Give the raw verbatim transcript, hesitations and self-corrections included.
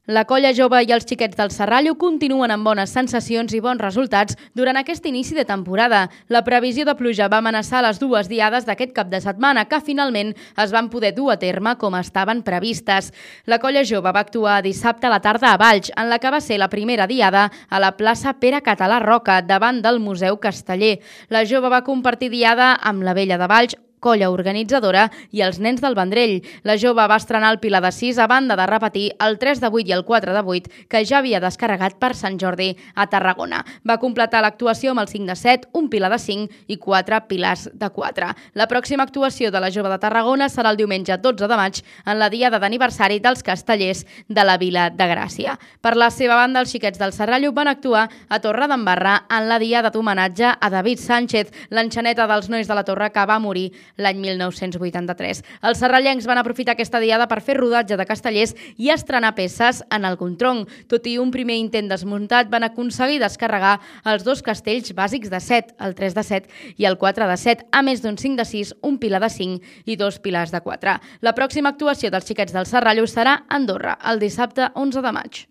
La colla jove i els xiquets del Serrallo continuen amb bones sensacions i bons resultats durant aquest inici de temporada. La previsió de pluja va amenaçar les dues diades d'aquest cap de setmana, que finalment es van poder dur a terme com estaven previstes. La colla jove va actuar dissabte a la tarda a Valls, en la que va ser la primera diada a la plaça Pere Català Roca, davant del Museu Casteller. La jove va compartir diada amb la Vella de Valls, colla organitzadora, i els nens del Vendrell. La jove va estrenar el Pilar de sis a banda de repetir el tres de vuit i el quatre de vuit que ja havia descarregat per Sant Jordi a Tarragona. Va completar l'actuació amb el cinc de set, un Pilar de cinc i quatre Pilars de quatre. La pròxima actuació de la jove de Tarragona serà el diumenge dotze de maig en la diada d'aniversari dels Castellers de la Vila de Gràcia. Per la seva banda, els xiquets del Serrallo van actuar a Torredembarra en la diada d'homenatge a David Sánchez, l'enxaneta dels nois de la Torre que va morir l'any mil nou-cents vuitanta-tres. Els serrallencs van aprofitar aquesta diada per fer rodatge de castellers i estrenar peces en el Contronc. Tot i un primer intent desmuntat, van aconseguir descarregar els dos castells bàsics de set, el tres de set i el quatre de set, a més d'un cinc de sis, un Pilar de cinc i dos Pilars de quatre. La pròxima actuació dels xiquets del Serrallo serà a Andorra, el dissabte onze de maig.